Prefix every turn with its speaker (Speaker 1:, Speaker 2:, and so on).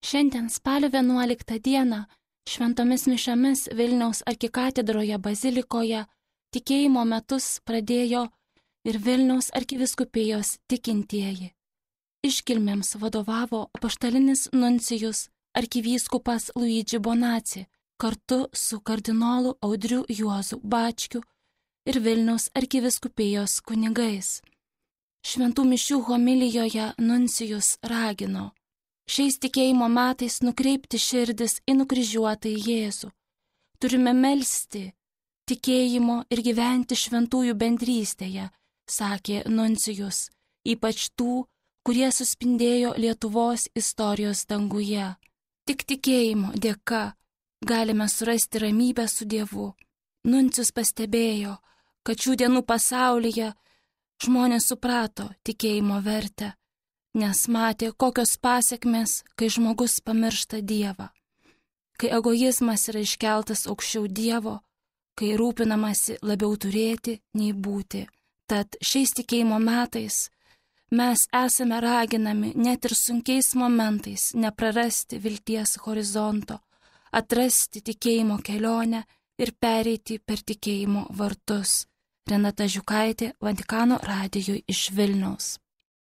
Speaker 1: Šiandien spalio 11 dieną šventomis mišiomis Vilniaus arkikatedroje bazilikoje tikėjimo metus pradėjo ir Vilniaus arkivyskupijos tikintieji. Iškilmėms vadovavo apaštalinis nuncijus arkivyskupas Luigi Bonacci kartu su kardinolu Audriu Juozu Bačkiu ir Vilniaus arkivyskupijos kunigais. Šventų mišių homilijoje nuncijus ragino šiais tikėjimo metais nukreipti širdis į nukryžiuotąjį Jėzų. Turime melsti tikėjimo ir gyventi šventųjų bendrystėje, sakė nuncijus, ypač tų, kurie suspindėjo Lietuvos istorijos danguje. Tik tikėjimo dėka galime surasti ramybę su Dievu. Nuncijus pastebėjo, kad šių dienų pasaulyje žmonės suprato tikėjimo vertę, nes matė, kokios pasekmės, kai žmogus pamiršta Dievą, kai egoizmas yra iškeltas aukščiau Dievo, kai rūpinamasi labiau turėti nei būti. Tad šiais tikėjimo metais mes esame raginami net ir sunkiais momentais neprarasti vilties horizonto, atrasti tikėjimo kelionę ir pereiti per tikėjimo vartus. Renata Žiukaitė, Vatikano radijui iš Vilniaus.